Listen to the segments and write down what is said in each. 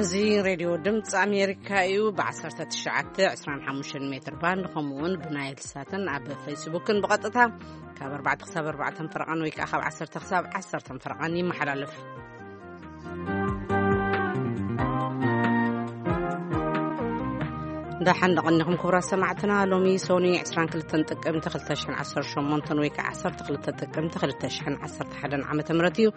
እዚ ሬድዮ ድምፂ ኣሜሪካ እዩ። ብ19፣ 25 ሜትር ባንድ፣ ከምኡ እውን ብናይል ሳትን ኣብ ፌስቡክን ብቐጥታ ካብ ኣርባዕተ ክሳብ ኣርባዕተ ፈረቓን ወይ ከዓ ካብ ዓሰርተ ክሳብ ዓሰርተ ፈረቓን ይመሓላለፍ። ደሓን ደቐኒኹም ክቡራት ሰማዕትና። ሎሚ ሶኒ 22 ጥቅምቲ 2018 ወይ ከዓ 12 ጥቅምቲ 2011 ዓመተ ምህረት እዩ።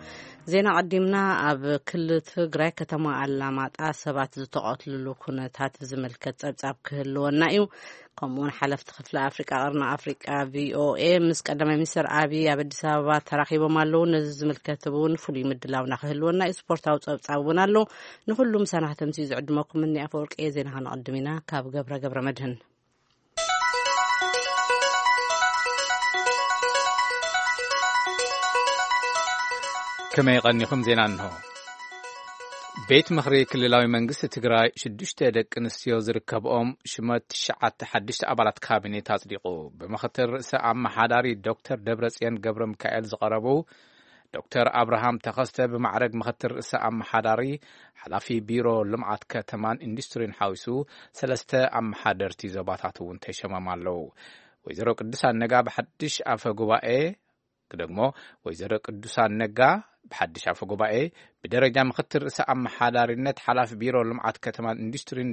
ዜና ቀዲምና። ኣብ ክልል ትግራይ ከተማ ኣላማጣ ሰባት ዝተቐትልሉ ኩነታት ዝምልከት ጸብጻብ ክህልወና እዩ። ከምኡውን ሓለፍቲ ክፍሊ ኣፍሪቃ፣ ቀርኒ ኣፍሪቃ፣ ቪኦኤ ምስ ቀዳማይ ሚኒስትር ኣብይ ኣብ ኣዲስ ኣበባ ተራኺቦም ኣለዉ። ነዚ ዝምልከት እውን ፍሉይ ምድላውና ክህልወና እዩ። ስፖርታዊ ጸብጻብ እውን ኣሎ። ንኹሉ ምሳና ከተምስዩ ዝዕድመኩም እኒ ኣፈወርቂ እየ። ዜና ከነቐድም ኢና። ካብ ገብረ ገብረ መድህን። ከመይ ቀኒኹም? ዜና እንሆ። ቤት ምኽሪ ክልላዊ መንግስቲ ትግራይ ሽዱሽተ ደቂ ኣንስትዮ ዝርከብኦም ሽመት ትሽዓተ ሓድሽተ ኣባላት ካቢኔት ኣጽዲቑ። ብምኽትል ርእሰ ኣመሓዳሪ ዶክተር ደብረጽዮን ገብረ ሚካኤል ዝቐረቡ ዶክተር ኣብርሃም ተኸስተ ብማዕረግ ምኽትል ርእሰ ኣመሓዳሪ፣ ሓላፊ ቢሮ ልምዓት ከተማን ኢንዱስትሪን ሓዊሱ ሰለስተ ኣመሓደርቲ ዞባታት እውን ተሸሞም ኣለዉ። ወይዘሮ ቅዱሳን ነጋ ብሓድሽ ኣፈ ጉባኤ፣ ክደግሞ፣ ወይዘሮ ቅዱሳን ነጋ ብሓድሽ ኣፈ ጉባኤ ብደረጃ ምኽትል ርእሰ ኣመሓዳሪነት ሓላፊ ቢሮ ልምዓት ከተማን ኢንዱስትሪን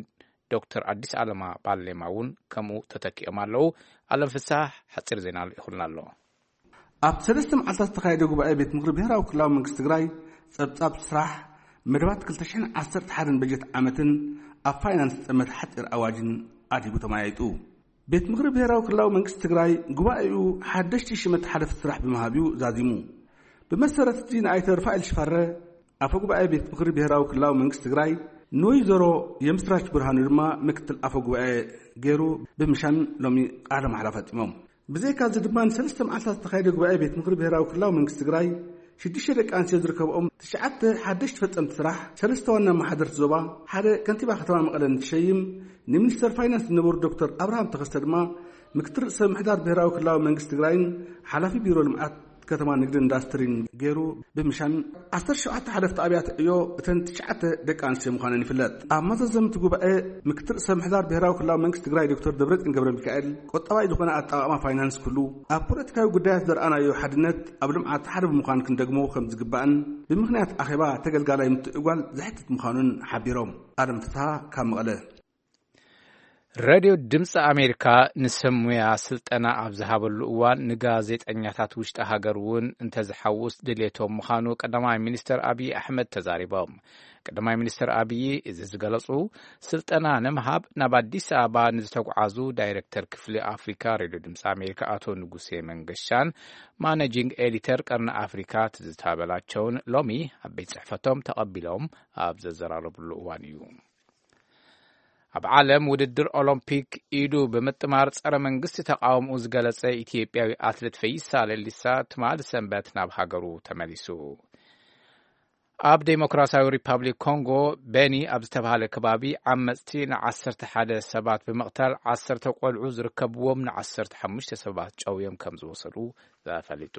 ዶክተር ኣዲስ ኣለማ ባሌማ እውን ከምኡ ተተኪኦም ኣለዉ። ኣለም ፍሳሕ ሓፂር ዜና ልኢኹልና ኣሎ። ኣብ ሰለስተ መዓልታት ዝተኻየደ ጉባኤ ቤት ምኽሪ ብሄራዊ ክልላዊ መንግስቲ ትግራይ ጸብጻብ ስራሕ፣ መደባት ክልተ ሽሕን ዓሰርተ ሓደን በጀት ዓመትን ኣብ ፋይናንስ ዝጠመተ ሓጺር ኣዋጅን ኣድሂቡ ተመያይጡ። ቤት ምኽሪ ብሄራዊ ክልላዊ መንግስቲ ትግራይ ጉባኤኡ ሓደሽቲ ሽመት ሓለፍቲ ስራሕ ብምሃብ እዩ ዛዚሙ። ብመሰረት እዚ ንኣይተ ርፋኤል ሽፋረ፣ ኣፈ ጉባኤ ቤት ምኽሪ ብሄራዊ ክልላዊ መንግስቲ ትግራይ፣ ንወይዘሮ የምስራች ብርሃኑ ድማ ምክትል ኣፈ ጉባኤ ገይሩ ብምሻም ሎሚ ቃለ ማሕላ ፈጺሞም። ብዘይካ እዚ ድማ ንሰለስተ መዓልታት ዝተኻየደ ጉባኤ ቤት ምኽሪ ብሄራዊ ክልላዊ መንግስቲ ትግራይ ሽዱሽተ ደቂ ኣንስትዮ ዝርከብኦም ትሽዓተ ሓደሽቲ ፈጸምቲ ስራሕ፣ ሰለስተ ዋና ኣመሓደርቲ ዞባ፣ ሓደ ከንቲባ ከተማ መቐለ እንትሸይም፣ ንሚኒስተር ፋይናንስ ዝነበሩ ዶክተር ኣብርሃም ተኸስተ ድማ ምክትል ርእሰ ምሕዳር ብሄራዊ ክልላዊ መንግስቲ ትግራይን ሓላፊ ቢሮ ልምዓት ከተማ ንግድን ኢንዳስትሪን ገይሩ ብምሻም፣ ዓሰርተ ሸውዓተ ሓለፍቲ ኣብያተ ዕዮ እተን ትሽዓተ ደቂ ኣንስትዮ ምዃነን ይፍለጥ። ኣብ መዛዘምቲ ጉባኤ፣ ምክትል ርእሰ ምሕዳር ብሄራዊ ክልላዊ መንግስቲ ትግራይ ዶክተር ደብረጽዮን ገብረ ሚካኤል፣ ቁጠባዊ ዝኾነ ኣጠቓቕማ ፋይናንስ ክህሉ፣ ኣብ ፖለቲካዊ ጉዳያት ዘርኣናዮ ሓድነት ኣብ ልምዓት ሓደ ብምዃን ክንደግሞ ከም ዝግባእን፣ ብምኽንያት ኣኼባ ተገልጋላይ ምትእጓል ዘሕትት ምዃኑን ሓቢሮም። ኣለም ፍስሃ ካብ መቐለ። ሬድዮ ድምፂ ኣሜሪካ ንሰብ ሙያ ስልጠና ኣብ ዝሃበሉ እዋን፣ ንጋዜጠኛታት ውሽጢ ሃገር እውን እንተዝሓውስ ድሌቶም ምዃኑ ቀዳማይ ሚኒስትር ኣብይ ኣሕመድ ተዛሪቦም። ቀዳማይ ሚኒስትር ኣብይ እዚ ዝገለጹ፣ ስልጠና ንምሃብ ናብ ኣዲስ ኣበባ ንዝተጓዓዙ ዳይሬክተር ክፍሊ ኣፍሪካ ሬድዮ ድምፂ ኣሜሪካ ኣቶ ንጉሴ መንገሻን ማኔጂንግ ኤዲተር ቀርኒ ኣፍሪካ ትዝታ በላቸውን ሎሚ ኣብ ቤት ጽሕፈቶም ተቐቢሎም ኣብ ዘዘራረብሉ እዋን እዩ። ኣብ ዓለም ውድድር ኦሎምፒክ ኢዱ ብምጥማር ጸረ መንግስቲ ተቃውምኡ ዝገለጸ ኢትዮጵያዊ ኣትሌት ፈይሳ ሌሊሳ ትማሊ ሰንበት ናብ ሃገሩ ተመሊሱ። ኣብ ዴሞክራሲያዊ ሪፐብሊክ ኮንጎ ቤኒ ኣብ ዝተባሃለ ከባቢ ዓመጽቲ ን11 ሰባት ብምቕታል ዓሰርተ ቆልዑ ዝርከብዎም ን15 ሰባት ጨውዮም ከም ዝወሰዱ ተፈሊጡ።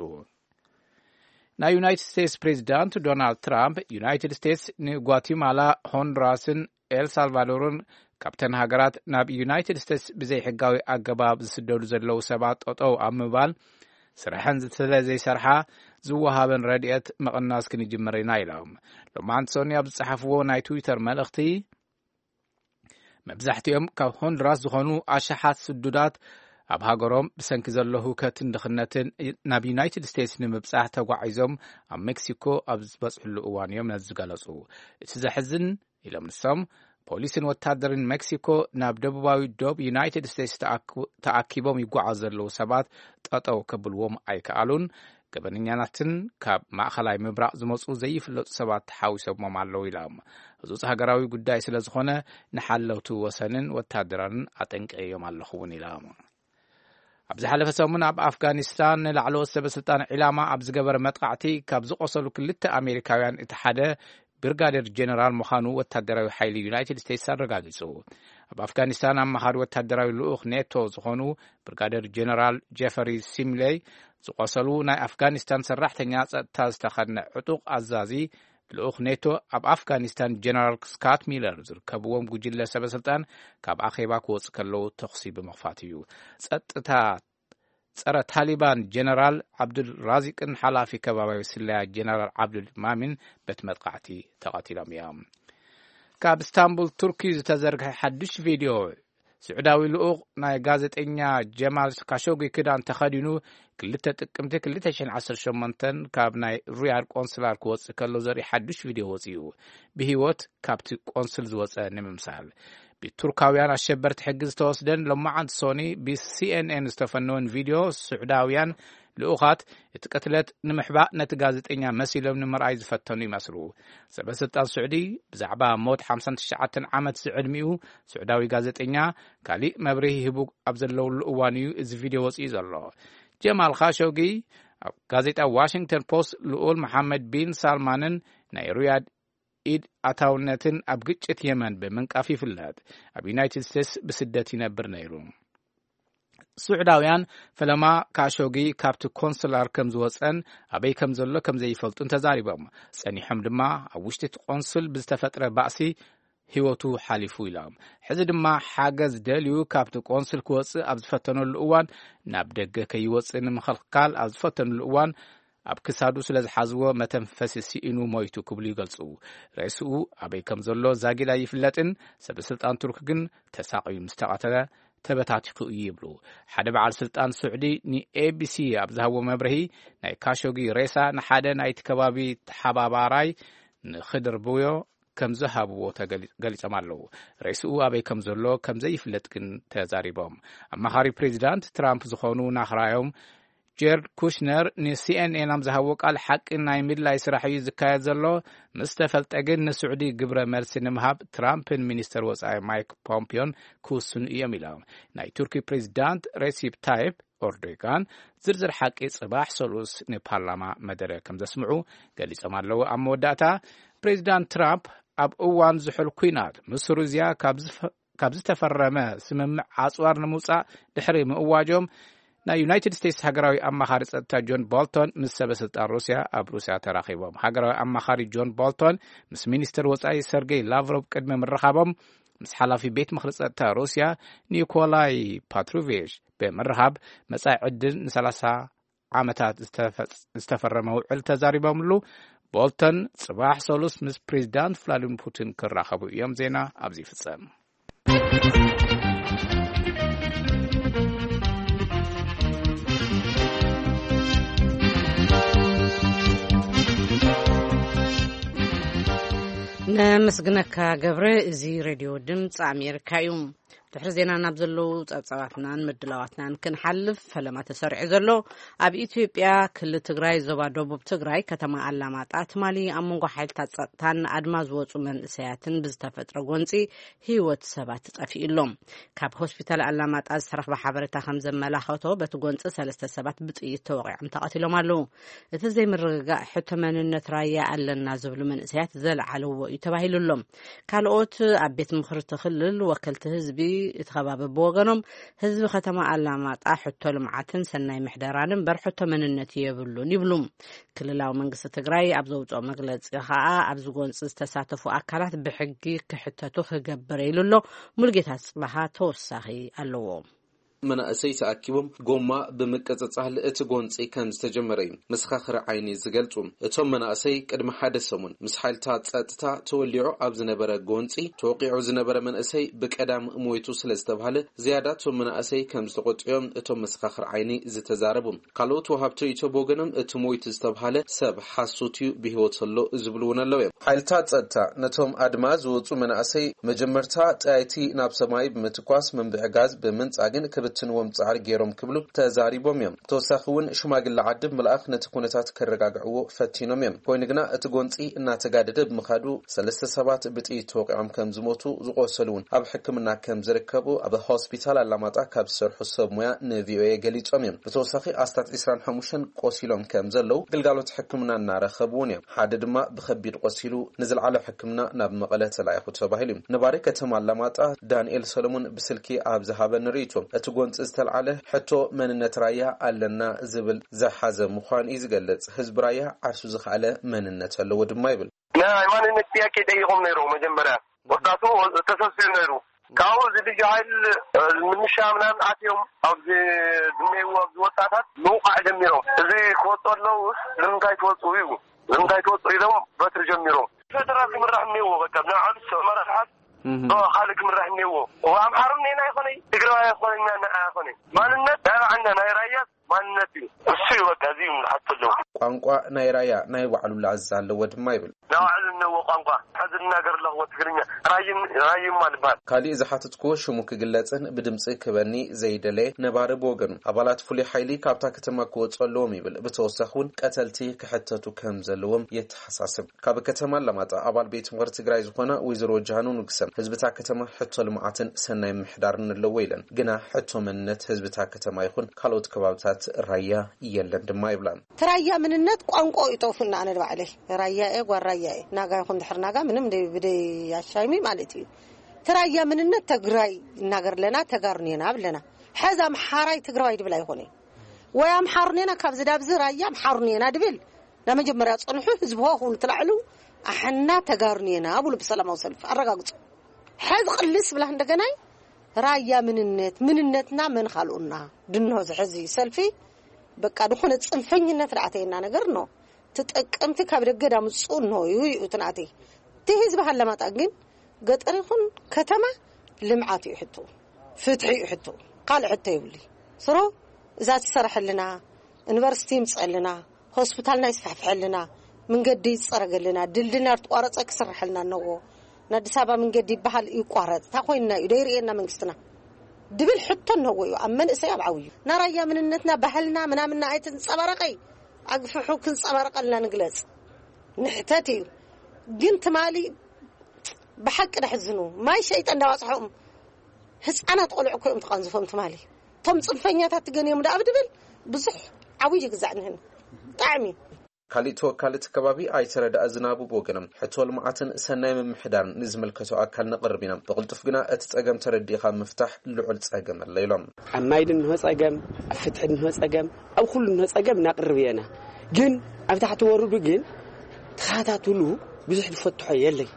ናይ ዩናይትድ ስቴትስ ፕሬዚዳንት ዶናልድ ትራምፕ፣ ዩናይትድ ስቴትስ ንጓቲማላ፣ ሆንዱራስን ኤልሳልቫዶርን ካብተን ሃገራት ናብ ዩናይትድ ስቴትስ ብዘይሕጋዊ ኣገባብ ዝስደዱ ዘለዉ ሰባት ጠጠው ኣብ ምባል ስራሐን ስለ ዘይሰርሓ ዝወሃበን ረድኤት ምቕናስ ክንጅምር ኢና ኢሎም። ሎማዓንቲ ሰኑይ ኣብ ዝጸሓፍዎ ናይ ትዊተር መልእኽቲ፣ መብዛሕትኦም ካብ ሆንዱራስ ዝኾኑ ኣሽሓት ስዱዳት ኣብ ሃገሮም ብሰንኪ ዘሎ ህውከትን ድኽነትን ናብ ዩናይትድ ስቴትስ ንምብጻሕ ተጓዒዞም ኣብ ሜክሲኮ ኣብ ዝበጽሕሉ እዋን እዮም ነዚ ዝገለጹ። እቲ ዘሕዝን፣ ኢሎም ንሶም፣ ፖሊስን ወታደርን ሜክሲኮ ናብ ደቡባዊ ዶብ ዩናይትድ ስቴትስ ተኣኪቦም ይጓዓዙ ዘለዉ ሰባት ጠጠው ከብልዎም ኣይከኣሉን። ገበነኛናትን ካብ ማእኸላይ ምብራቕ ዝመፁ ዘይፍለጡ ሰባት ተሓዊሶሞም ኣለዉ ኢሎም። ህፁፅ ሃገራዊ ጉዳይ ስለ ዝኾነ ንሓለውቲ ወሰንን ወታደራትን ኣጠንቂዮም ኣለኹ እውን ኢሎም። ኣብ ዝሓለፈ ሰሙን ኣብ ኣፍጋኒስታን ንላዕለዎት ሰበ ስልጣን ዒላማ ኣብ ዝገበረ መጥቃዕቲ ካብ ዝቆሰሉ ክልተ ኣሜሪካውያን እቲ ሓደ ብርጋዴር ጀነራል ምዃኑ ወታደራዊ ሓይሊ ዩናይትድ ስቴትስ ኣረጋጊጹ። ኣብ ኣፍጋኒስታን ኣማኻሪ ወታደራዊ ልኡኽ ኔቶ ዝኾኑ ብርጋዴር ጀነራል ጀፈሪ ሲምሌይ ዝቆሰሉ ናይ ኣፍጋኒስታን ሰራሕተኛ ጸጥታ ዝተኸድነ ዕጡቕ ኣዛዚ ልኡኽ ኔቶ ኣብ ኣፍጋኒስታን ጀነራል ስካት ሚለር ዝርከብዎም ጉጅለ ሰበ ስልጣን ካብ ኣኼባ ክወፁ ከለዉ ተኹሲ ብምኽፋት እዩ። ጸጥታ ጸረ ታሊባን ጀነራል ዓብዱል ራዚቅን ሓላፊ ከባቢያዊ ስለያ ጀነራል ዓብዱል ማሚን በቲ መጥቃዕቲ ተቐቲሎም እዮም። ካብ እስታንቡል ቱርኪ ዝተዘርግሐ ሓዱሽ ቪድዮ፣ ስዑዳዊ ልኡኽ ናይ ጋዜጠኛ ጀማል ካሾጊ ክዳን ተኸዲኑ ክልተ ጥቅምቲ ክልተ ሽሕን ዓሰርተ ሸሞንተን ካብ ናይ ሪያድ ቆንስላር ክወጽእ ከሎ ዘርኢ ሓዱሽ ቪድዮ ወጺኡ። ብህይወት ካብቲ ቆንስል ዝወጸ ንምምሳል ብቱርካውያን ኣሸበርቲ ሕጊ ዝተወስደን ሎማዓንቲ ሶኒ ብሲኤንኤን ዝተፈነወን ቪድዮ፣ ስዑዳውያን ልኡኻት እቲ ቅትለት ንምሕባእ ነቲ ጋዜጠኛ መሲሎም ንምርኣይ ዝፈተኑ ይመስሉ። ሰበ ስልጣን ስዑዲ ብዛዕባ ሞት ሓምሳን ትሽዓተን ዓመት ዝዕድሚኡ ስዑዳዊ ጋዜጠኛ ካሊእ መብርሂ ሂቡ ኣብ ዘለውሉ እዋን እዩ እዚ ቪድዮ ወፂኡ ዘሎ። ጀማል ካሾጊ ኣብ ጋዜጣ ዋሽንግተን ፖስት ልኡል መሓመድ ቢን ሳልማንን ናይ ሪያድ ኢድ ኣታውነትን ኣብ ግጭት የመን ብምንቃፍ ይፍለጥ። ኣብ ዩናይትድ ስቴትስ ብስደት ይነብር ነይሩ። ስዑዳውያን ፈለማ ካሾጊ ካብቲ ኮንስላር ከም ዝወፀን ኣበይ ከም ዘሎ ከም ዘይፈልጡን ተዛሪቦም። ጸኒሖም ድማ ኣብ ውሽጢ እቲ ቆንስል ብዝተፈጥረ ባእሲ ህይወቱ ሓሊፉ ኢሎም። ሕዚ ድማ ሓገዝ ደልዩ ካብቲ ቆንስል ክወፅእ ኣብ ዝፈተነሉ እዋን፣ ናብ ደገ ከይወፅእ ንምኽልካል ኣብ ዝፈተነሉ እዋን ኣብ ክሳዱ ስለ ዝሓዝዎ መተንፈሲ ስኢኑ ሞይቱ ክብሉ ይገልጹ። ሬስኡ ኣበይ ከም ዘሎ ዛጊድ ኣይፍለጥን። ሰበ ስልጣን ቱርክ ግን ተሳቕዩ ምስ ተቐተለ ተበታቲኹ እዩ ይብሉ። ሓደ በዓል ስልጣን ስዑዲ ንኤቢሲ ኣብ ዝሃብዎ መብርሂ፣ ናይ ካሾጊ ሬሳ ንሓደ ናይቲ ከባቢ ተሓባባራይ ንኽድርብዮ ከም ዝሃብዎ ተገሊ-፣ ገሊጾም ኣለዉ። ሬስኡ ኣበይ ከም ዘሎ ከም ዘይፍለጥ ግን ተዛሪቦም። ኣማኻሪ ፕሬዚዳንት ትራምፕ ዝኾኑ ናኽራዮም ጀርድ ኩሽነር ንሲኤንኤን ኣብ ዝሃብዎ ቃል፣ ሓቂ ናይ ምድላይ ስራሕ እዩ ዝካየድ ዘሎ። ምስ ተፈልጠ ግን ንስዑዲ ግብረ መልሲ ንምሃብ ትራምፕን ሚኒስተር ወጻኢ ማይክ ፖምፒዮን ክውስኑ እዮም ኢሎም። ናይ ቱርኪ ፕሬዚዳንት ሬሲፕ ታይፕ ኦርዶጋን ዝርዝር ሓቂ ጽባሕ ሰሉስ ንፓርላማ መደረ ከም ዘስምዑ ገሊጾም ኣለዉ። ኣብ መወዳእታ ፕሬዚዳንት ትራምፕ ኣብ እዋን ዝሑል ኲናት ምስ ሩዝያ ካብ ዝፈ-፣ ካብ ዝተፈረመ ስምምዕ ኣጽዋር ንምውጻእ ድሕሪ ምእዋጆም ናይ ዩናይትድ ስቴትስ ሃገራዊ ኣማኻሪ ጸጥታ ጆን ቦልቶን ምስ ሰበ ስልጣን ሩስያ ኣብ ሩስያ ተራኺቦም። ሃገራዊ ኣማኻሪ ጆን ቦልቶን ምስ ሚኒስትር ወጻኢ ሰርጌይ ላቭሮቭ ቅድሚ ምርኻቦም ምስ ሓላፊ ቤት ምኽሪ ጸጥታ ሩስያ ኒኮላይ ፓትሩቬሽ ብምርኻብ መጻኢ ዕድል ንሰላሳ ዓመታት ዝተፈ-፣ ዝተፈረመ ውዕል ተዛሪቦምሉ። ቦልተን ጽባሕ ሰሉስ ምስ ፕሬዚዳንት ቭላዲሚር ፑቲን ክራኸቡ እዮም። ዜና ኣብዚ ይፍጸም። ነመስግነካ ገብረ። እዚ ሬድዮ ድምፂ ኣሜሪካ እዩ። ድሕሪ ዜና ናብ ዘለዉ ጸብጻባትናን ምድላዋትናን ክንሓልፍ፣ ፈለማ ተሰሪዑ ዘሎ ኣብ ኢትዮጵያ ክልል ትግራይ ዞባ ደቡብ ትግራይ ከተማ ኣላማጣ ትማሊ ኣብ መንጎ ሓይልታት ጸጥታን ኣድማ ዝወጹ መንእሰያትን ብዝተፈጥረ ጎንጺ ህይወት ሰባት ጠፊኡ ኣሎ። ካብ ሆስፒታል ኣላማጣ ዝተረኽበ ሓበሬታ ከም ዘመላኸቶ በቲ ጎንጺ ሰለስተ ሰባት ብጥይት ተወቒዖም ተቐቲሎም ኣለዉ። እቲ ዘይምርግጋእ ሕቶ መንነት ራያ ኣለና ዝብሉ መንእሰያት ዘልዓልዎ እዩ ተባሂሉ ኣሎ። ካልኦት ኣብ ቤት ምኽሪ እቲ ክልል ወከልቲ ህዝቢ እቲ ከባቢ ብወገኖም፣ ህዝቢ ከተማ ኣላማጣ ሕቶ ልምዓትን ሰናይ ምሕደራን እምበር ሕቶ መንነት የብሉን ይብሉ። ክልላዊ መንግስቲ ትግራይ ኣብ ዘውፅኦ መግለፂ ከዓ ኣብዚ ጎንፂ ዝተሳተፉ ኣካላት ብሕጊ ክሕተቱ ክገብር ኢሉ ኣሎ። ሙልጌታ ጽባሃ ተወሳኺ ኣለዎ። መናእሰይ ተኣኪቦም ጎማ ብምቅጽጻል እቲ ጎንጺ ከም ዝተጀመረ እዩ መሰኻኽሪ ዓይኒ ዝገልጹ። እቶም መናእሰይ ቅድሚ ሓደ ሰሙን ምስ ሓይልታት ጸጥታ ተወሊዑ ኣብ ዝነበረ ጎንጺ ተወቂዑ ዝነበረ መንእሰይ ብቀዳም ሞይቱ ስለ ዝተባህለ ዝያዳ እቶም መናእሰይ ከም ዝተቆጥዮም እቶም መሰኻኽሪ ዓይኒ ዝተዛረቡ። ካልኦት ወሃብቲ ርእይቶ ብወገኖም እቲ ሞይቱ ዝተባህለ ሰብ ሓሶት እዩ፣ ብህይወት ኣሎ ዝብሉ እውን ኣለዉ እዮም። ሓይልታት ጸጥታ ነቶም ኣድማ ዝወጹ መናእሰይ መጀመርታ ጠያይቲ ናብ ሰማይ ብምትኳስ መንብዒ ጋዝ ብምንጻግን ክብትንዎም ጻዕሪ ገይሮም ክብሉ ተዛሪቦም እዮም። ተወሳኺ እውን ሽማግለ ዓዲ ብምልኣኽ ነቲ ኩነታት ከረጋግዕዎ ፈቲኖም እዮም። ኮይኑ ግና እቲ ጎንጺ እናተጋደደ ብምኻዱ ሰለስተ ሰባት ብጥይት ተወቂዖም ከም ዝሞቱ፣ ዝቆሰሉ እውን ኣብ ሕክምና ከም ዝርከቡ ኣብ ሆስፒታል ኣላማጣ ካብ ዝሰርሑ ሰብ ሞያ ንቪኦኤ ገሊጾም እዮም። ብተወሳኺ ኣስታት ዕስራን ሓሙሽተን ቆሲሎም ከም ዘለዉ፣ ግልጋሎት ሕክምና እናረኸቡ እውን እዮም። ሓደ ድማ ብኸቢድ ቆሲሉ ንዝለዓለ ሕክምና ናብ መቐለ ተላኢኹ ተባሂሉ እዩ። ነባሪ ከተማ ኣላማጣ ዳንኤል ሰሎሞን ብስልኪ ኣብ ዝሃበኒ ርእይቶ፣ እቲ ምንጭ ዝተልዓለ ሕቶ መንነት ራያ ኣለና ዝብል ዝሓዘ ምዃኑ እዩ ዝገልጽ። ህዝቢ ራያ ዓርሱ ዝኸኣለ መንነት ኣለዎ ድማ ይብል። ናይ ማንነት ጥያቄ ጠይቆም ነይሮም መጀመርያ። ወጣቱ ተሰብሲቡ ነይሩ። ካብኡ እዚ ልዩ ሓይል፣ እ፣ ምንሻ ምናምን ኣትዮም ኣብዚ ዝነይዎ ኣብዚ ወጣታት ምውቃዕ ጀሚሮም። እዚ ክወጡ ኣለዉ። ንምንታይ ትወፁ እዩ? ንምንታይ ትወፁ ኢሎም በትሪ ጀሚሮም። ፌደራል ክምራሕ እኒዎ፣ በቃ ብናይ ዓብስ መራሕሓት እህ። ኦ፣ ካልእ ክምራሕ እኒዎ። ኦ፣ ኣምሓሩ እኒና ይኾነ፣ ትግራዋይ ይኾነ፣ እኛ ንዓ ይኾነ። ማንነት ናይ ባዕልና ናይ ራያ ማንነት እዩ። እሱ እዩ በቃ፣ እዚ እዩ ዝሓት ኣለዉ። ቋንቋ ናይ ራያ ናይ ባዕሉ ላዛ ኣለዎ ድማ ይብል። ናይ ባዕሉ እነዎ ቋንቋ፣ ሕዚ ዝናገር ኣለኹዎ ትግርኛ፣ ራይም-፣ ራይማ ልበሃል። ካሊእ ዝሓትትክዎ ሽሙ ክግለጽን ብድምጺ ክበኒ ዘይደለየ ነባሪ ብወገኑ፣ ኣባላት ፍሉይ ሓይሊ ካብታ ከተማ ክወጹ ኣለዎም ይብል። ብተወሳኺ እውን ቀተልቲ ክሕተቱ ከም ዘለዎም የተሓሳስብ። ካብ ከተማ ኣላማጣ ኣባል ቤት ምኽሪ ትግራይ ዝኾና ወይዘሮ ጃኑ ንጉሰ፣ ህዝብታ ከተማ ሕቶ ልምዓትን ሰናይ ምሕዳርን ኣለዎ ኢለን፣ ግና ሕቶ መንነት ህዝብታ ከተማ ይኹን ካልኦት ከባብታት ራያ የለን ድማ ይብላ። እቲ ራያ ምንነት ቋንቋ ይጠፉና። ኣነ ንባዕለይ ራያ እየ፣ ጓል ራያ እየ። ናጋ ይኹን ድሕር ናጋ ምንም ደይ-፣ ብደይ ኣሻይሚ ማለት እዩ። እቲ ራያ ምንነት ተግራይ እናገር ኣለና፣ ተጋሩን እየና ብለና። ሕዚ ኣምሓራይ ትግራዋይ ድብል ኣይኾነ። ወይ ኣምሓሩን እየና፣ ካብዚ ዳብዚ ራያ ኣምሓሩን እየና ድብል። ናብ መጀመርያ ጸንሑ፣ ህዝቢ ሆ ክብሉ ትላዕሉ፣ ኣሕና ተጋሩን እየና ብሉ ብሰላማዊ ሰልፊ ኣረጋግጹ። ሕዚ ቅልስ ብላ እንደገናይ ራያ ምንነት፣ ምንነትና መን ካልኡና? ድንሆ ዝሕዚ ሰልፊ በቃ ድኾነ ጽንፈኝነት ደኣ ኣተየና ነገር ነው። ተጠቀምቲ ካብ ደገ ዳምጹ ነው እዩ፣ እዩ እቲ ናተይ። እቲ ህዝቢ ሃለማጣ ግን ገጠር ይኹን ከተማ ልምዓት እዩ ሕቶ፣ ፍትሒ እዩ ሕቶ፣ ካልእ ሕቶ የብሉ። ስሮ እዛ ትሰርሐልና፣ ዩኒቨርሲቲ ይምጸልና፣ ሆስፒታልና ይስፋሕፍሐልና፣ መንገዲ ይጸረገልና፣ ድልድልና ዝተቋረጸ ክስርሐልና እነዎ። ንኣዲስ ኣበባ መንገዲ ይበሃል ይቋረጽ። እንታይ ኮይንና እዩ? ዶ ይርእየና መንግስትና? ድብል ሕቶ እነዎ እዩ። ኣብ መንእሰይ ኣብ ዓብዩ። ናራያ ምንነትና፣ ባህልና፣ ምናምንና ኣይትንጸባረቐይ። ኣግፍሑ ክንጸባረቐልና ንግለጽ። ንሕተት እዩ። ግን ትማሊ ብሓቂ ደሕዝኑ። ማይ ሸይጠ እንዳዋጽሖም ህጻናት ቆልዑ እኮ እዮም ተቐንዝፎም ትማሊ። እቶም ጽንፈኛታት ትገንዮም ደኣ ብድብል ብዙሕ ዓብዩ ይግዛዕ ንህን። ብጣዕሚ። ካሊእ ተወካሊ እቲ ከባቢ ኣይተ ረዳእ ዝናቡ ብወገኖም፣ ሕቶ ልምዓትን ሰናይ ምምሕዳርን ንዝምልከቶ ኣካል ነቕርብ ኢና። ብቕልጡፍ ግና እቲ ጸገም ተረዲእኻ ምፍታሕ ልዑል ጸገም ኣለ ኢሎም። ኣብ ማይ ድንሆ ጸገም፣ ኣብ ፍትሒ ድንሆ ጸገም፣ ኣብ ኩሉ ድንሆ ጸገም እናቕርብ እየና። ግን ኣብ ታሕቲ ወርዱ ግን ተኸታትሉ ብዙሕ ዝፈትሖ የለይ።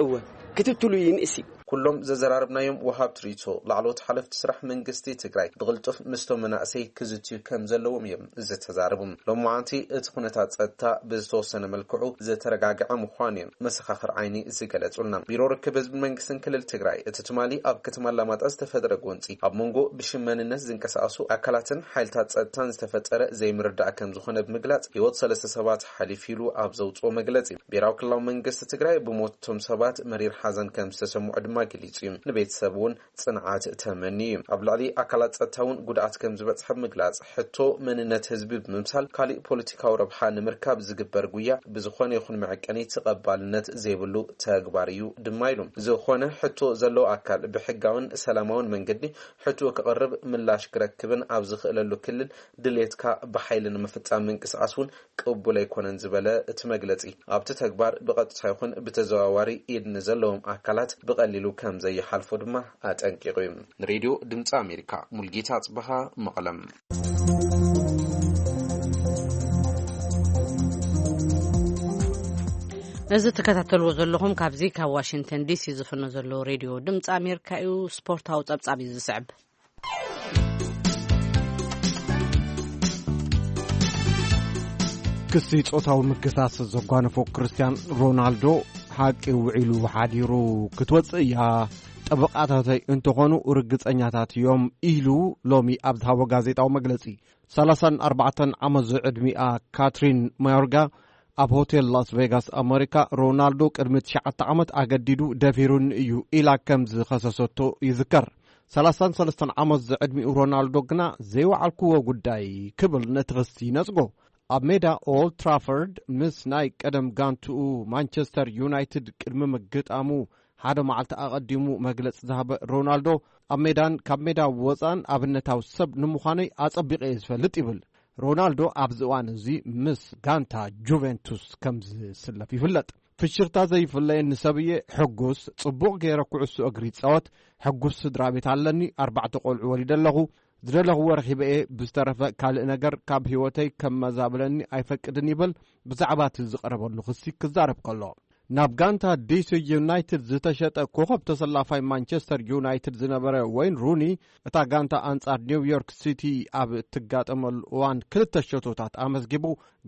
እወ፣ ክትትሉ ይንእስ እዩ። ኩሎም ዘዘራርብናዮም ወሃብቲ ርእይቶ፣ ላዕለዎት ሓለፍቲ ስራሕ መንግስቲ ትግራይ ብቕልጡፍ ምስቶም መናእሰይ ክዝትዩ ከም ዘለዎም እዮም ዝተዛረቡ። ሎማዓንቲ እቲ ኩነታት ጸጥታ ብዝተወሰነ መልክዑ ዝተረጋግዐ ምዃኑ እዮም መሰኻኽር ዓይኒ ዝገለጹልና። ቢሮ ርክብ ህዝብን መንግስትን ክልል ትግራይ፣ እቲ ትማሊ ኣብ ከተማ ኣላማጣ ዝተፈጥረ ጎንጺ ኣብ መንጎ ብሽም መንነት ዝንቀሳቐሱ ኣካላትን ሓይልታት ጸጥታን ዝተፈጠረ ዘይምርዳእ ከም ዝኾነ ብምግላጽ፣ ህይወት ሰለስተ ሰባት ሓሊፉ ኢሉ ኣብ ዘውጽኦ መግለጺ፣ ብሄራዊ ክልላዊ መንግስቲ ትግራይ ብሞት እቶም ሰባት መሪር ሓዘን ከም ዝተሰምዖ ድማ ገሊጹ እዩ። ንቤተሰብ እውን ጽንዓት ተመንዩ እዩ። ኣብ ልዕሊ ኣካላት ጸጥታ እውን ጉድኣት ከም ዝበጽሐ ብምግላጽ፣ ሕቶ መንነት ህዝቢ ብምምሳል ካሊእ ፖለቲካዊ ረብሓ ንምርካብ ዝግበር ጉያ ብዝኾነ ይኹን መዐቀኒ ተቐባልነት ዘይብሉ ተግባር እዩ ድማ ኢሉ። ዝኾነ ሕቶ ዘለዎ ኣካል ብሕጋውን ሰላማውን መንገዲ ሕቶ ክቕርብ ምላሽ ክረክብን ኣብ ዝኽእለሉ ክልል ድሌትካ ብሓይሊ ንምፍጻም ምንቅስቓስ እውን ቅቡል ኣይኮነን ዝበለ እቲ መግለጺ፣ ኣብቲ ተግባር ብቐጥታ ይኹን ብተዘዋዋሪ ኢድ ንዘለዎም ኣካላት ብቐሊሉ ከም ዘይሓልፎ ድማ ኣጠንቂቑ እዩ። ንሬድዮ ድምፂ ኣሜሪካ፣ ሙልጌታ ኣጽበሃ፣ መቐለም። እዚ ትከታተልዎ ዘለኹም ካብዚ ካብ ዋሽንግተን ዲሲ ዝፍኖ ዘሎ ሬድዮ ድምፂ ኣሜሪካ እዩ። ስፖርታዊ ጸብጻብ እዩ ዝስዕብ። ክሲ ጾታዊ ምክሳስ ዘጓነፎ ክርስቲያን ሮናልዶ፣ ሓቂ ውዒሉ ሓዲሩ ክትወጽእ እያ፣ ጠበቓታተይ እንተኾኑ ርግጸኛታት እዮም ኢሉ ሎሚ ኣብ ዝሃቦ ጋዜጣዊ መግለጺ። ሰላሳን ኣርባዕተን ዓመት ዝዕድሚኣ ካትሪን ማዮርጋ ኣብ ሆቴል ላስ ቬጋስ ኣመሪካ፣ ሮናልዶ ቅድሚ ትሽዓተ ዓመት ኣገዲዱ ደፊሩኒ እዩ ኢላ ከም ዝኸሰሰቶ ይዝከር። ሰላሳን ሰለስተን ዓመት ዝዕድሚኡ ሮናልዶ ግና ዘይወዓልክዎ ጉዳይ ክብል ነቲ ክሲ ይነጽጎ። ኣብ ሜዳ ኦልድ ትራፎርድ ምስ ናይ ቀደም ጋንትኡ ማንቸስተር ዩናይትድ ቅድሚ ምግጣሙ ሓደ መዓልቲ ኣቐዲሙ መግለጺ ዝሃበ ሮናልዶ፣ ኣብ ሜዳን ካብ ሜዳ ወጻእን ኣብነታዊ ሰብ ንምዃነይ ኣጸቢቐ እየ ዝፈልጥ ይብል። ሮናልዶ ኣብዚ እዋን እዚ ምስ ጋንታ ጁቬንቱስ ከም ዝስለፍ ይፍለጥ። ፍሽኽታ ዘይፍለየኒ ሰብ እየ፣ ሕጉስ፣ ጽቡቕ ገይረ ኩዕሶ እግሪ ይጻወት፣ ሕጉስ ስድራ ቤት ኣለኒ፣ ኣርባዕተ ቆልዑ ወሊደ ኣለኹ፣ ዝደለኽዎ ረኺበ እየ፣ ብዝተረፈ ካልእ ነገር ካብ ህይወተይ ከመዛብለኒ ኣይፈቅድን ይብል ብዛዕባ እቲ ዝቐረበሉ ክሲ ክዛረብ ከሎ። ናብ ጋንታ ዲሲ ዩናይትድ ዝተሸጠ ኮኸብ ተሰላፋይ ማንቸስተር ዩናይትድ ዝነበረ ወይን ሩኒ፣ እታ ጋንታ ኣንጻር ኒውዮርክ ሲቲ ኣብ እትጋጠመሉ እዋን ክልተ ሸቶታት ኣመዝጊቡ፣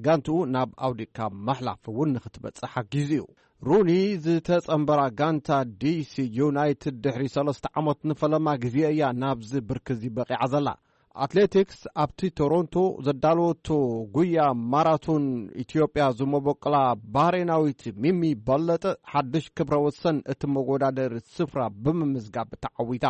ጋንትኡ ናብ ኣውዲካ ማሕላፍ እውን ንክትበጽሕ ሓጊዙ እዩ። ሩኒ ዝተጸንበራ ጋንታ ዲሲ ዩናይትድ ድሕሪ ሰለስተ ዓመት ንፈለማ ግዜ እያ ናብዚ ብርኪ እዚ በቒዓ ዘላ። ኣትሌቲክስ ኣብቲ ቶሮንቶ ዘዳለወቶ ጉያ ማራቶን፣ ኢትዮጵያ ዝመበቆላ ባህሬናዊት ሚሚ በለጠ ሓድሽ ክብረ ወሰን እቲ መወዳደሪ ስፍራ ብምምዝጋብ ተዓዊታ።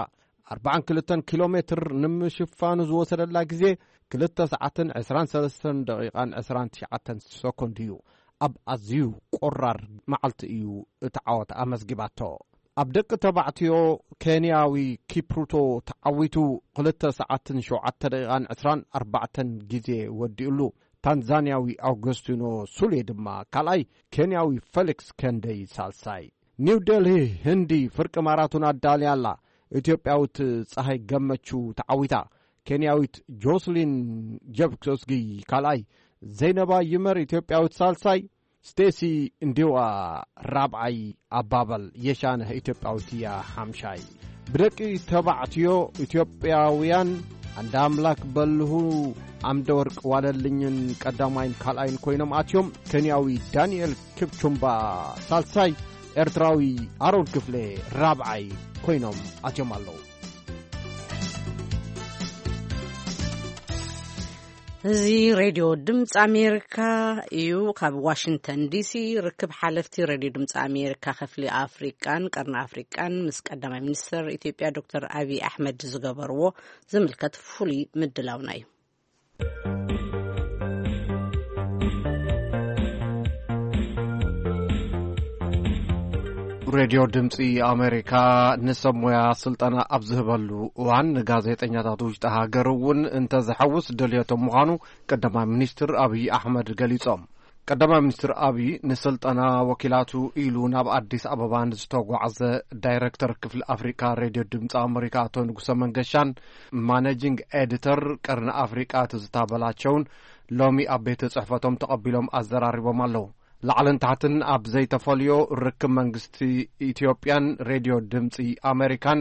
ኣርባዓን ክልተን ኪሎ ሜትር ንምሽፋኑ ዝወሰደላ ግዜ ክልተ ሰዓትን ዕስራን ሰለስተን ደቂቓን ዕስራን ትሽዓተን ሰኮንድ እዩ። ኣብ ኣዝዩ ቆራር መዓልቲ እዩ እቲ ዓወት ኣመዝጊባቶ። ኣብ ደቂ ተባዕትዮ ኬንያዊ ኪፕሩቶ ተዓዊቱ ክልተ ሰዓትን ሸውዓተ ደቂቓን ዕስራን ኣርባዕተን ግዜ ወዲኡሉ። ታንዛንያዊ ኣውገስቲኖ ሱሌ ድማ ካልኣይ፣ ኬንያዊ ፌሊክስ ከንደይ ሳልሳይ። ኒው ደልሂ፣ ህንዲ፣ ፍርቂ ማራቶን ኣዳልያ ኣላ። ኢትዮጵያዊት ፀሃይ ገመቹ ተዓዊታ። ኬንያዊት ጆስሊን ጀብኮስጊ ካልኣይ፣ ዘይነባ ይመር ኢትዮጵያዊት ሳልሳይ፣ ስቴሲ እንዲዋ ራብዓይ፣ ኣባበል የሻነህ ኢትዮጵያዊት እያ ሓምሻይ። ብደቂ ተባዕትዮ ኢትዮጵያውያን ኣንዳ ኣምላክ በልሁ ኣምደ ወርቅ ዋለልኝን ቀዳማይን ካልኣይን ኮይኖም ኣትዮም። ኬንያዊ ዳንኤል ኪፕቹምባ ሳልሳይ፣ ኤርትራዊ ኣሮን ክፍሌ ራብዓይ ኮይኖም ኣትዮም ኣለዉ። እዚ ሬድዮ ድምፂ ኣሜሪካ እዩ። ካብ ዋሽንግተን ዲሲ ርክብ ሓለፍቲ ሬድዮ ድምፂ ኣሜሪካ ክፍሊ ኣፍሪቃን ቀርኒ ኣፍሪቃን ምስ ቀዳማይ ሚኒስትር ኢትዮጵያ ዶክተር ኣብይ ኣሕመድ ዝገበርዎ ዝምልከት ፍሉይ ምድላውና እዩ። ሬድዮ ድምፂ ኣሜሪካ ንሰብ ሞያ ስልጠና ኣብ ዝህበሉ እዋን ንጋዜጠኛታት ውሽጢ ሃገር እውን እንተዝሓውስ ድልየቶም ምዃኑ ቀዳማይ ሚኒስትር ኣብይ ኣሕመድ ገሊጾም። ቀዳማይ ሚኒስትር ኣብይ ንስልጠና ወኪላቱ ኢሉ ናብ ኣዲስ ኣበባ ንዝተጓዕዘ ዳይሬክተር ክፍሊ ኣፍሪካ ሬድዮ ድምፂ ኣሜሪካ ኣቶ ንጉሰ መንገሻን ማኔጂንግ ኤዲተር ቀርኒ ኣፍሪቃ ትዝታ በላቸውን ሎሚ ኣብ ቤት ጽሕፈቶም ተቐቢሎም ኣዘራሪቦም ኣለዉ። ላዕልን ታሕትን ኣብ ዘይተፈልዮ ርክብ መንግስቲ ኢትዮጵያን ሬድዮ ድምፂ ኣሜሪካን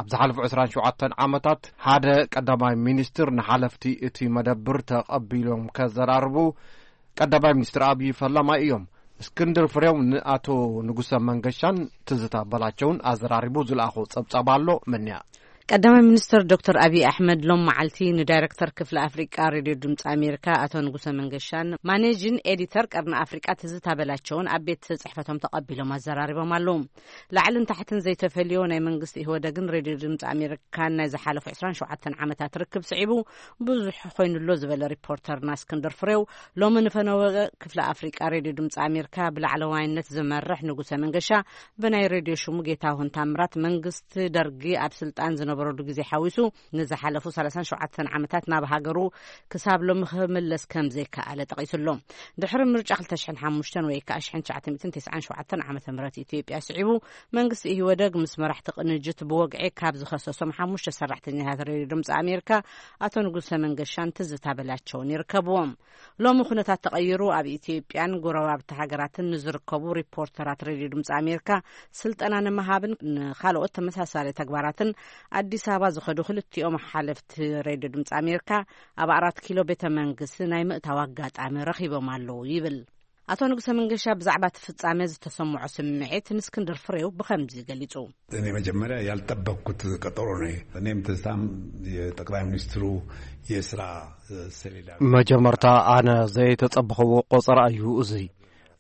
ኣብ ዝሓለፉ ዕስራን ሸውዓተን ዓመታት ሓደ ቀዳማይ ሚኒስትር ንሓለፍቲ እቲ መደብር ተቐቢሎም ከዘራርቡ ቀዳማይ ሚኒስትር ኣብዪ ፈላማይ እዮም። እስክንድር ፍሬው ንኣቶ ንጉሰ መንገሻን ትዝታ በላቸውን ኣዘራሪቡ ዝለኣኾ ጸብጻብ ኣሎ። መንያ ቀዳማይ ሚኒስትር ዶክተር ኣብዪ ኣሕመድ ሎም መዓልቲ ንዳይረክተር ክፍሊ ኣፍሪቃ ሬድዮ ድምፂ ኣሜሪካ ኣቶ ንጉሰ መንገሻን ማኔጂን ኤዲተር ቀርኒ ኣፍሪቃ ትዝታ በላቸውን ኣብ ቤት ጽሕፈቶም ተቐቢሎም ኣዘራሪቦም ኣለዉ። ላዕልን ታሕትን ዘይተፈልዮ ናይ መንግስቲ ኢህወደግን ሬድዮ ድምፂ ኣሜሪካን ናይ ዝሓለፉ ዕስራን ሸውዓተን ዓመታት ርክብ ስዒቡ ብዙሕ ኮይኑሎ ዝበለ ሪፖርተርና እስክንድር ፍሬው ሎሚ ንፈነወ ክፍለ ኣፍሪቃ ሬድዮ ድምፂ ኣሜሪካ ብላዕለዋይነት ዝመርሕ ንጉሰ መንገሻ ብናይ ሬድዮ ሽሙ ጌታሁን ታምራት መንግስቲ ደርጊ ኣብ ስልጣን ዝነበረሉ ግዜ ሓዊሱ ንዝሓለፉ ሰላሳን ሸውዓተን ዓመታት ናብ ሃገሩ ክሳብ ሎሚ ክምለስ ከም ዘይከኣለ ጠቒሱሎ። ድሕሪ ምርጫ ክልተ ሽሕን ሓሙሽተን ወይ ከዓ ሽሕን ትሽዓተ ሚእትን ተስዓን ሸውዓተን ዓመተ ምህረት ኢትዮጵያ ስዒቡ መንግስቲ ኢህወደግ ምስ መራሕቲ ቅንጅት ብወግዒ ካብ ዝኸሰሶም ሓሙሽተ ሰራሕተኛታት ሬድዮ ድምፂ ኣሜሪካ ኣቶ ንጉሰ መንገሻን ትዝታ በላቸውን ይርከብዎም። ሎሚ ኩነታት ተቐይሩ ኣብ ኢትዮጵያን ጎረባብቲ ሃገራትን ንዝርከቡ ሪፖርተራት ሬድዮ ድምፂ ኣሜሪካ ስልጠና ንምሃብን ንካልኦት ተመሳሳሊ ተግባራትን ኣዲስ ኣበባ ዝኸዱ ክልቲኦም ሓለፍቲ ሬድዮ ድምፂ ኣሜሪካ ኣብ ኣራት ኪሎ ቤተ መንግስቲ ናይ ምእታው ኣጋጣሚ ረኺቦም ኣለዉ ይብል። ኣቶ ንጉሰ መንገሻ ብዛዕባ እቲ ፍጻሜ ዝተሰምዖ ስምዒት ንእስክንድር ፍሬው ብኸምዚ ገሊጹ። እኔ መጀመሪያ ያልጠበቅኩት ቀጠሮ ነው። እኔም ትዝታም የጠቅላይ ሚኒስትሩ የስራ ሰሌዳ መጀመርታ ኣነ ዘይተጸበኽዎ ቆጸራ እዩ እዚ።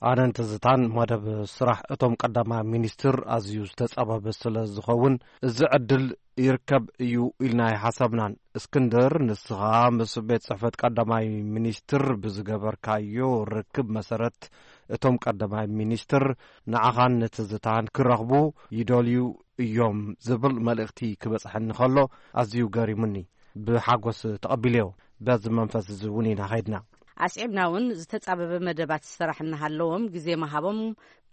ኣነን ትዝታን መደብ ስራሕ እቶም ቀዳማይ ሚኒስትር ኣዝዩ ዝተጸበበ ስለ ዝኸውን እዚ ዕድል ይርከብ እዩ ኢልና ኣይሓሰብናን። እስክንድር፣ ንስኻ ምስ ቤት ጽሕፈት ቀዳማይ ሚኒስትር ብዝገበርካዮ ርክብ መሰረት እቶም ቀዳማይ ሚኒስትር ንዓኻን ንትዝታን ክረኽቡ ይደልዩ እዮም ዝብል መልእኽቲ ክበጽሐኒ ከሎ ኣዝዩ ገሪሙኒ። ብሓጎስ ተቐቢለዮ። በዚ መንፈስ እዚ እውን ኢና ኸይድና። ኣስዒብና እውን ዝተጻበበ መደባት ስራሕ እናሃለዎም ግዜ ምሃቦም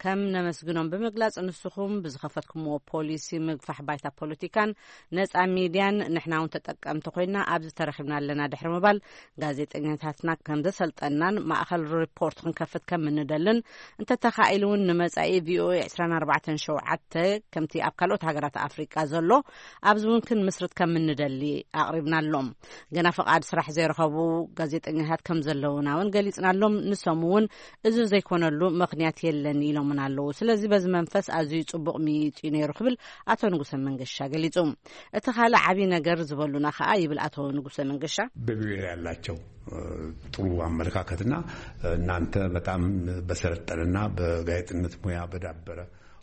ከም ነመስግኖም ብምግላጽ፣ ንስኹም ብዝኸፈትኩምዎ ፖሊሲ ምግፋሕ ባይታ ፖለቲካን ነጻ ሚድያን ንሕና እውን ተጠቀምቲ ኮይና ኣብዚ ተረኺብና ኣለና ድሕሪ ምባል፣ ጋዜጠኛታትና ከም ዘሰልጠናን ማእኸል ሪፖርት ክንከፍት ከም እንደልን፣ እንተተኻኢሉ እውን ንመጻኢ ቪኦኤ ዕስራን ኣርባዕተን ሸውዓተ ከምቲ ኣብ ካልኦት ሃገራት ኣፍሪቃ ዘሎ ኣብዚ እውን ክንምስርት ከም እንደሊ ኣቕሪብናሎም። ገና ፍቓድ ስራሕ ዘይረኸቡ ጋዜጠኛታት ከም ዘለውና እውን ገሊጽናሎም። ንሶም እውን እዚ ዘይኮነሉ ምኽንያት የለን ኢሎምን ኣለዉ። ስለዚ በዚ መንፈስ ኣዝዩ ጽቡቕ ምይይጥ እዩ ነይሩ ክብል ኣቶ ንጉሰ መንገሻ ገሊጹ። እቲ ካልእ ዓብዪ ነገር ዝበሉና ከኣ ይብል ኣቶ ንጉሰ መንገሻ። በብሔር ያላቸው ጥሩ አመለካከትና እናንተ በጣም በሰለጠነና በጋዜጠኝነት ሙያ በዳበረ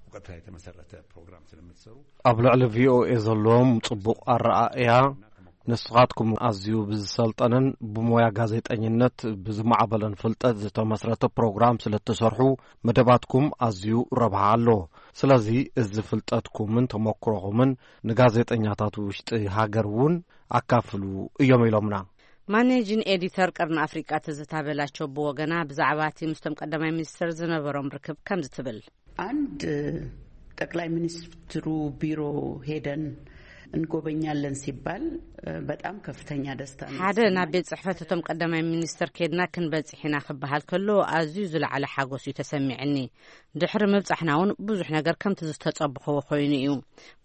እውቀት ላይ የተመሰረተ ፕሮግራም ስለምትሰሩ ኣብ ልዕሊ ቪኦኤ ዘለዎም ጽቡቕ ኣረኣእያ፣ ንስኻትኩም ኣዝዩ ብዝሰልጠነን ብሞያ ጋዜጠኝነት ብዝማዕበለን ፍልጠት ዝተመስረተ ፕሮግራም ስለ እትሰርሑ፣ መደባትኩም ኣዝዩ ረብሓ ኣለዎ። ስለዚ እዚ ፍልጠትኩምን ተመክሮኹምን ንጋዜጠኛታት ውሽጢ ሃገር እውን ኣካፍሉ እዮም ኢሎምና። ማኔጂን ኤዲተር ቀርኒ ኣፍሪቃ ትዝታ በላቸው ብወገና ብዛዕባ እቲ ምስቶም ቀዳማይ ሚኒስትር ዝነበሮም ርክብ ከምዚ ትብል። አንድ ጠቅላይ ሚኒስትሩ ቢሮ ሄደን እንጎበኛለን ሲባል በጣም ከፍተኛ ደስታ ነው ሓደ የተሰማኝ። ናብ ቤት ጽሕፈት እቶም ቀዳማይ ሚኒስትር ኬድና ክንበጽሕ ኢና ክበሃል ከሎ ኣዝዩ ዝለዓለ ሓጎስ እዩ ተሰሚዕኒ። ድሕሪ ምብጻሕና እውን ብዙሕ ነገር ከምቲ ዝተጸብኽዎ ኮይኑ እዩ።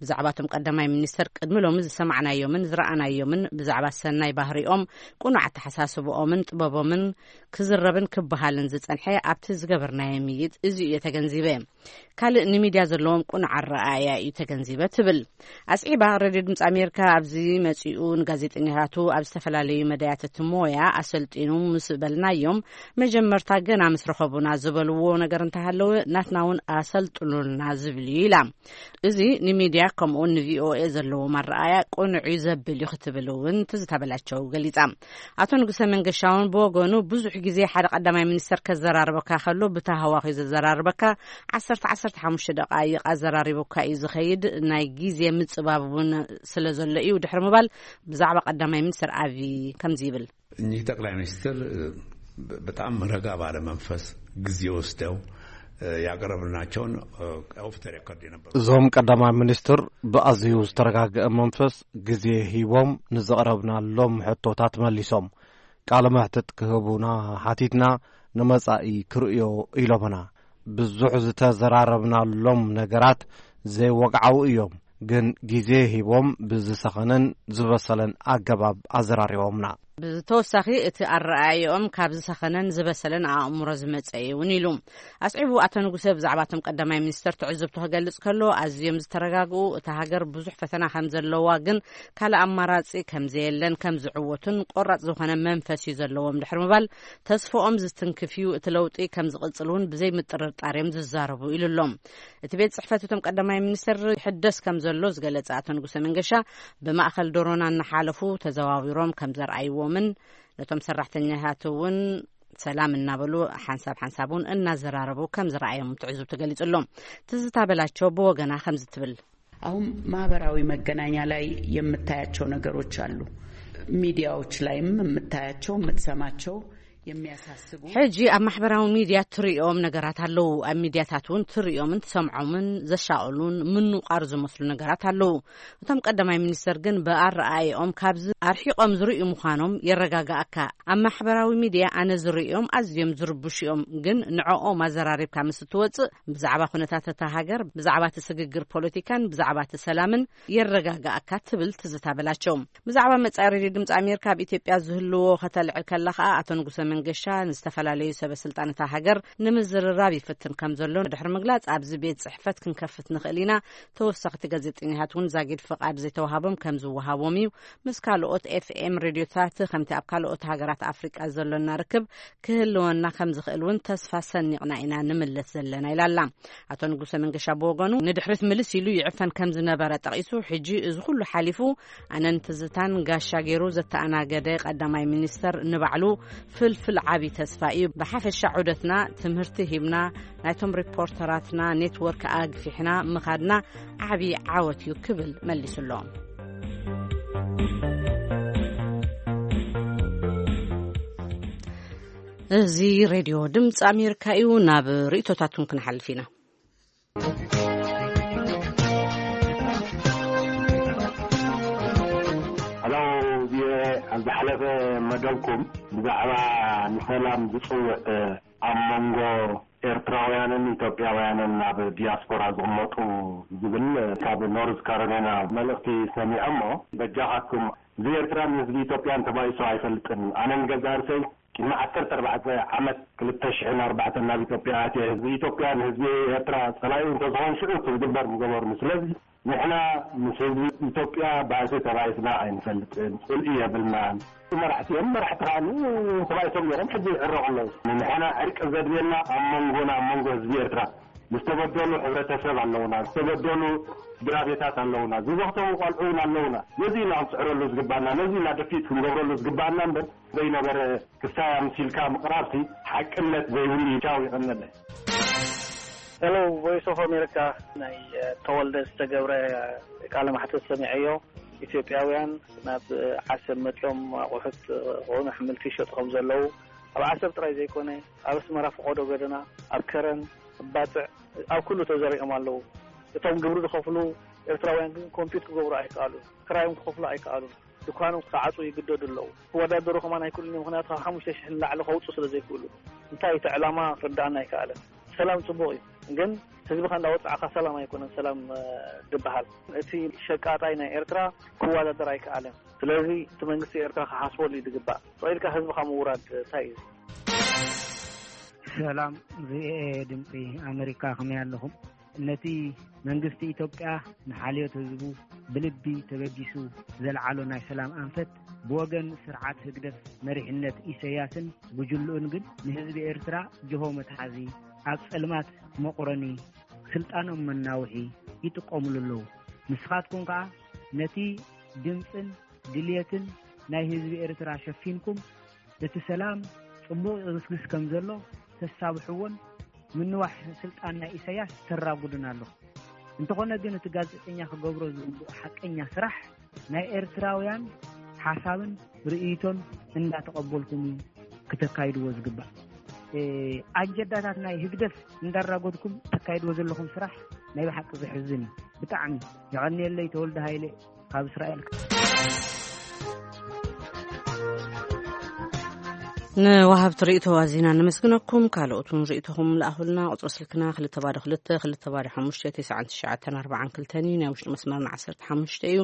ብዛዕባ እቶም ቀዳማይ ሚኒስትር ቅድሚ ሎሚ ዝሰማዕናዮምን ዝረኣናዮምን ብዛዕባ ሰናይ ባህሪኦም፣ ቅኑዕ ኣተሓሳስብኦምን ጥበቦምን ክዝረብን ክበሃልን ዝጸንሐ ኣብቲ ዝገበርናዮ ምይይጥ እዚ እዩ ተገንዚበ። ካልእ ንሚድያ ዘለዎም ቅኑዕ ኣረኣእያ እዩ ተገንዚበ ትብል። ኣስዒባ ሬድዮ ድምፂ ኣሜሪካ ኣብዚ መፂኡ ንጋዜጠኛታቱ ኣብ ዝተፈላለዩ መዳያት እቲ ሞያ ኣሰልጢኑ ምስ በልናዮም መጀመርታ ገና ምስ ረኸቡና ዝበልዎ ነገር እንተሃለወ ናትና እውን ኣሰልጥኑልና ዝብል እዩ ኢላ። እዚ ንሚድያ ከምኡውን ንቪኦኤ ዘለዎም ኣረኣእያ ቅኑዕ እዩ ዘብል እዩ ክትብል እውን ትዝታ በላቸው ገሊፃ። ኣቶ ንጉሰ መንገሻውን ብወገኑ ብዙሕ ግዜ ሓደ ቀዳማይ ሚኒስተር ከዘራርበካ ከሎ ብታህዋኽ እዩ ዘዘራርበካ። ዓሰርተ ዓሰርተ ሓሙሽተ ደቃይቕ ኣዘራሪቡካ እዩ ዝኸይድ። ናይ ግዜ ምጽባብ እውን ስለ ዘሎ እዩ ድሕሪ ምባል ብዛዕባ ቀዳማይ ሚኒስተር ኣብዪ ከምዚ ይብል። እኚህ ጠቅላይ ሚኒስትር በጣም ረጋ ባለ መንፈስ ጊዜ ወስደው ያቀረብናቸውን ኦፍ ተ ሬኮርድ የነበሩ እዞም ቀዳማይ ሚኒስትር ብኣዝዩ ዝተረጋገአ መንፈስ ግዜ ሂቦም ንዘቕረብናሎም ሕቶታት መሊሶም ቃለ መሕትት ክህቡና ሓቲትና ንመጻኢ ክርእዮ ኢሎምና። ብዙሕ ዝተዘራረብናሎም ነገራት ዘይወግዓዊ እዮም፣ ግን ግዜ ሂቦም ብዝሰኸነን ዝበሰለን ኣገባብ ኣዘራሪቦምና። ብተወሳኺ እቲ ኣረኣእያኦም ካብ ዝሰኸነን ዝበሰለን ኣእምሮ ዝመጸ እዩ እውን ኢሉ። ኣስዒቡ ኣቶ ንጉሰ ብዛዕባ እቶም ቀዳማይ ሚኒስተር ትዕዝብቱ ክገልጽ ከሎ ኣዝዮም ዝተረጋግኡ፣ እታ ሃገር ብዙሕ ፈተና ከም ዘለዋ ግን ካልእ ኣማራጺ ከም ዘየለን ከም ዝዕወቱን ቆራጽ ዝኾነ መንፈስ እዩ ዘለዎም ድሕሪ ምባል ተስፍኦም ዝትንክፍ እዩ፣ እቲ ለውጢ ከም ዝቕጽል እውን ብዘይ ምጥርጣር እዮም ዝዛረቡ ኢሉ ኣሎ። እቲ ቤት ጽሕፈት እቶም ቀዳማይ ሚኒስተር ይሕደስ ከም ዘሎ ዝገለጸ ኣቶ ንጉሰ መንገሻ ብማእከል ዶሮና እናሓለፉ ተዘዋዊሮም ከም ዘርኣይዎምን ነቶም ሰራሕተኛታት እውን ሰላም እናበሉ ሓንሳብ ሓንሳብ እውን እናዘራረቡ ከም ዝረኣዮም ትዕዝብቱ ገሊጹ ኣሎ። ትዝታ በላቸው ብወገና ከምዚ ትብል። አሁን ማህበራዊ መገናኛ ላይ የምታያቸው ነገሮች አሉ። ሚዲያዎች ላይም የምታያቸው የምትሰማቸው የሚያሳስቡ ሕጂ ኣብ ማሕበራዊ ሚድያ ትርእዮም ነገራት ኣለዉ። ኣብ ሚድያታት እውን ትርእዮምን ትሰምዖምን ዘሻቕሉን ምንቋር ዝመስሉ ነገራት ኣለዉ። እቶም ቀዳማይ ሚኒስተር ግን ብኣረኣእያኦም ካብዚ ኣርሒቖም ዝርእዩ ምዃኖም የረጋግኣካ። ኣብ ማሕበራዊ ሚድያ ኣነ ዝርእዮም ኣዝዮም ዝርብሹ እዮም፣ ግን ንዕኦም ኣዘራሪብካ ምስ እትወጽእ ብዛዕባ ኩነታት እታ ሃገር፣ ብዛዕባ እቲ ስግግር ፖለቲካን ብዛዕባ እቲ ሰላምን የረጋግኣካ ትብል ትዝታ በላቸው። ብዛዕባ መጻኢ ሬድዮ ድምፂ ኣሜሪካ ኣብ ኢትዮጵያ ዝህልዎ ከተልዕል ከላ ከኣ ኣቶ ንጉሰ መንገሻ ንዝተፈላለዩ ሰበ ስልጣን እታ ሃገር ንምዝርራብ ይፍትን ከም ዘሎ ድሕሪ ምግላጽ ኣብዚ ቤት ጽሕፈት ክንከፍት ንኽእል ኢና። ተወሳኽቲ ጋዜጠኛታት እውን ዛጊድ ፍቓድ ዘይተዋሃቦም ከም ዝወሃቦም እዩ። ምስ ካልኦት ኤፍኤም ሬድዮታት ከምቲ ኣብ ካልኦት ሃገራት ኣፍሪቃ ዘሎና ርክብ ክህልወና ከም ዝኽእል እውን ተስፋ ሰኒቕና ኢና ንምለስ ዘለና ኢላ ኣላ። ኣቶ ንጉሰ መንገሻ ብወገኑ ንድሕሪት ምልስ ኢሉ ይዕፈን ከም ዝነበረ ጠቒሱ፣ ሕጂ እዚ ኩሉ ሓሊፉ ኣነን ትዝታን ጋሻ ገይሩ ዘተኣናገደ ቀዳማይ ሚኒስተር ንባዕሉ ፍልፍል ዓቢ ተስፋ እዩ። ብሓፈሻ ዑደትና ትምህርቲ ሂብና፣ ናይቶም ሪፖርተራትና ኔትወርክ ኣግፊሕና ምኻድና ዓቢ ዓወት እዩ ክብል መሊሱ ኣሎ። እዚ ሬድዮ ድምፂ ኣሜሪካ እዩ። ናብ ርእይቶታቱን ክንሓልፍ ኢና። ሄሎ፣ ቪኦኤ፣ ኣብ ዝሓለፈ መደብኩም ብዛዕባ ንሰላም ዝጽውዕ ኣብ መንጎ ኤርትራውያንን ኢትዮጵያውያንን ናብ ዲያስፖራ ዝቕመጡ ዝብል ካብ ኖርዝ ካሮላይና መልእኽቲ ሰሚዐ እሞ፣ በጃኻትኩም፣ ህዝቢ ኤርትራን ህዝቢ ኢትዮጵያን ተባኢሱ ኣይፈልጥን። ኣነን ገዛ ርእሰይ ቅድሚ ዓሰርተ ኣርባዕተ ዓመት፣ ክልተ ሽሕን ኣርባዕተን ናብ ኢትዮጵያ ኣትየ፣ ህዝቢ ኢትዮጵያ ንህዝቢ ኤርትራ ጸላኢ እንተዝኾን ሽዑ እቲ ዝግበር ምገበሩኒ። ስለዚ ንሕና ምስ ህዝቢ ኢትዮጵያ ባእሲ ተባኢስና ኣይንፈልጥን፣ ጽልኢ የብልናን። መራሕቲ እዮም፣ መራሕቲ ከኣ ተባኢሶም ነይሮም፣ ሕጂ ይዕረቑ ኣለዉ። ንሕና ዕርቂ ዘድልየና ኣብ መንጎና፣ ኣብ መንጎ ህዝቢ ኤርትራ ዝተበደሉ ሕብረተሰብ ኣለዉና፣ ዝተበደሉ ስድራ ቤታት ኣለዉና፣ ዝበኽተዉ ቆልዑ እውን ኣለዉና። ነዚ ኢና ክንጽዕረሉ ዝግባና፣ ነዚ ኢና ደፊት ክንገብረሉ ዝግባና እምበር ዘይነበረ ክሳይ ኣምሲልካ ምቕራብሲ ሓቅነት ዘይብሉ እዩ። ቻው፣ ይቐነለ። ሄሎ፣ ቮይስ ኦፍ ኣሜሪካ። ናይ ተወልደ ዝተገብረ ቃለ ማሕተት ሰሚዐዮ። ኢትዮጵያውያን ናብ ዓሰብ መፂኦም ኣቑሑት ክኾኑ ኣሕምልቲ ይሸጡ ከም ዘለዉ፣ ኣብ ዓሰብ ጥራይ ዘይኮነ፣ ኣብ ኣስመራ ፈቐዶ ገደና፣ ኣብ ከረን፣ ኣብ ባፅዕ፣ ኣብ ኩሉ ተዘሪኦም ኣለዉ። እቶም ግብሪ ዝኸፍሉ ኤርትራውያን ግን ኮምፒት ክገብሩ ኣይከኣሉን፣ ክራዮም ክኸፍሉ ኣይከኣሉን። ድኳኖም ክዓፁ ይግደዱ ኣለዉ። ክወዳደሩ ከማን ኣይክእሉን እዮም፣ ምኽንያቱ ካብ ሓሙሽተ ሽሕ ንላዕሊ ከውፅኡ ስለ ዘይክእሉ። እንታይ እቲ ዕላማ ክርድኣና ኣይከኣለን። ሰላም ፅቡቕ እዩ፣ ግን ህዝብኻ እንዳወፃዕካ ሰላም ኣይኮነን ሰላም ድበሃል። እቲ ሸቃጣይ ናይ ኤርትራ ክወዳደር ኣይከኣለን። ስለዚ እቲ መንግስቲ ኤርትራ ክሓስበሉ እዩ ዝግባእ። ፈቒድካ ህዝብኻ ምውራድ እንታይ እዩ? ሰላም፣ ቪኦኤ ድምፂ ኣሜሪካ፣ ከመይ ኣለኹም? ነቲ መንግስቲ ኢትዮጵያ ንሓልዮት ህዝቡ ብልቢ ተበጊሱ ዘልዓሎ ናይ ሰላም ኣንፈት፣ ብወገን ስርዓት ህግደፍ መሪሕነት ኢሰያስን ጉጅልኡን ግን ንህዝቢ ኤርትራ ጅሆ መትሓዚ፣ ኣብ ጸልማት መቑረኒ፣ ስልጣኖም መናውሒ ይጥቀሙሉ ኣለዉ። ንስኻትኩም ከኣ ነቲ ድምጽን ድልየትን ናይ ህዝቢ ኤርትራ ሸፊንኩም፣ እቲ ሰላም ጽቡቕ ይግስግስ ከም ዘሎ ተሳብሕዎን ምንዋሕ ስልጣን ናይ ኢሳያስ ተራጉዱን ኣለኹም። እንተኾነ ግን እቲ ጋዜጠኛ ክገብሮ ዝግብኦ ሓቀኛ ስራሕ ናይ ኤርትራውያን ሓሳብን ርእይቶን እንዳተቐበልኩም እዩ ክተካይድዎ ዝግባእ። ኣጀንዳታት ናይ ህግደፍ እንዳራጎድኩም ተካይድዎ ዘለኹም ስራሕ ናይ ብሓቂ ዘሕዝን እዩ። ብጣዕሚ የቐንየለይ። ተወልደ ሃይለ ካብ እስራኤል። ንወሃብቲ ርእይቶ ኣዚና ነመስግነኩም። ካልኦት እውን ርእይቶኹም ለኣኹልና። ቁጽሪ ስልክና ክልተ ባዶ ክልተ ክልተ ባዶ ሓሙሽተ ተስዓን ትሽዓተን ኣርባዓን ክልተን እዩ። ናይ ውሽጢ መስመርና ዓሰርተ ሓሙሽተ እዩ።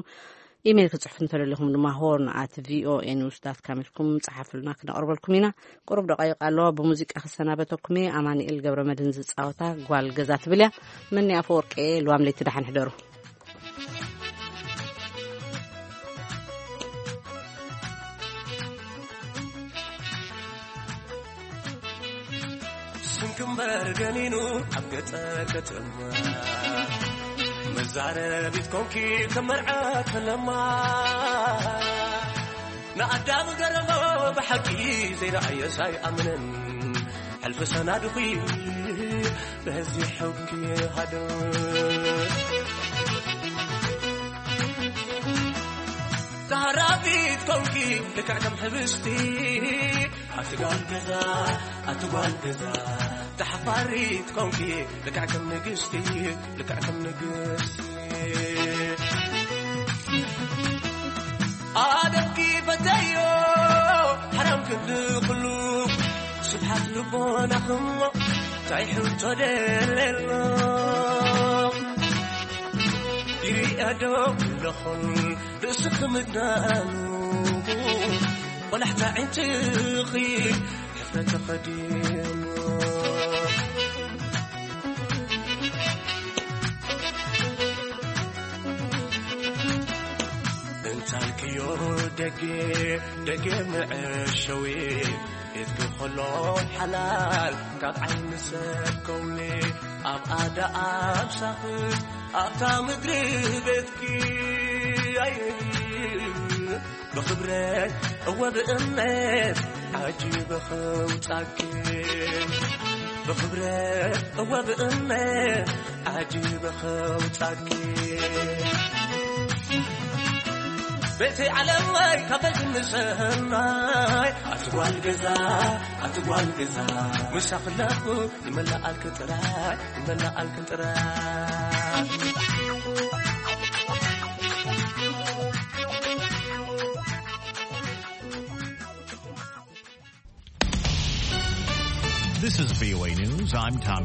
ኢሜይል ክጽሕፉ እንተደሊኹም ድማ ሆርን ኣት ቪኦኤ ኒውስ ዳት ካም ኢልኩም ጸሓፉልና፣ ክነቕርበልኩም ኢና። ቁሩብ ደቃይቕ ኣለዋ፣ ብሙዚቃ ክሰናበተኩም እየ። ኣማኑኤል ገብረ መድህን ዝጻወታ ጓል ገዛ ትብል እያ። መኒ ኣፈወርቂ እየ። ልዋም ለይቲ ደሓን ሕደሩ። ስንክምበር ገኒኑ ኣብ ገጠር ከተማ መዛረቢት ኮንኪ ተመርዓት ፈለማ። ንኣዳም ገረሞ ብሓቂ ዘይረኣየስ ኣይኣምንን። ሕልፊ ሰናድኺ በዚ ሕጊ ሃደ። ተሃራቢት ኮንኪ ልክዕ ከም ሕብስቲ። ኣቲ ጓል ገዛ፣ ኣቲ ጓል ገዛ። ተሓፋሪት ኮንኪ ልክዕ ከም ንግስቲ፣ ልክዕ ከም ንግስቲ። ኣደብኪ በተዮ ሓራም ክንዲ ኩሉ ስብሓት ልቦናኽሞ እንታይ ሕቶ ደለሎ። ይሪኣ ዶ ኣለኹን ርእስኺ ምድናኑ ቆላሕታ ዕንጭኺ ሕፍረት ተኸዲኑ። እንታልክዮ ደጌ ደጌ መዐሸዊ ኢድኪ ከሎ ሓላል ካብ ዓይኒ ሰብ ከውሊ ኣብ ኣዳ ኣብ ሳኽት ኣብታ ምድሪ ቤትኪ ኣይ ብኽብረት እወ ብእምነት ዓጂበ ኸውጻኪ ብኽብረት እወ ብእምነት ዓጂበ ኸውጻኪ። ቤተይ ዓለመይ ካፈል ትንሰናይ ኣትጓል ገዛ ኣትጓል ገዛ ምሳኽለኹ ይመላኣልክ ጥራይ ይመላኣልክ ጥራይ This is V O A News. I'm Tom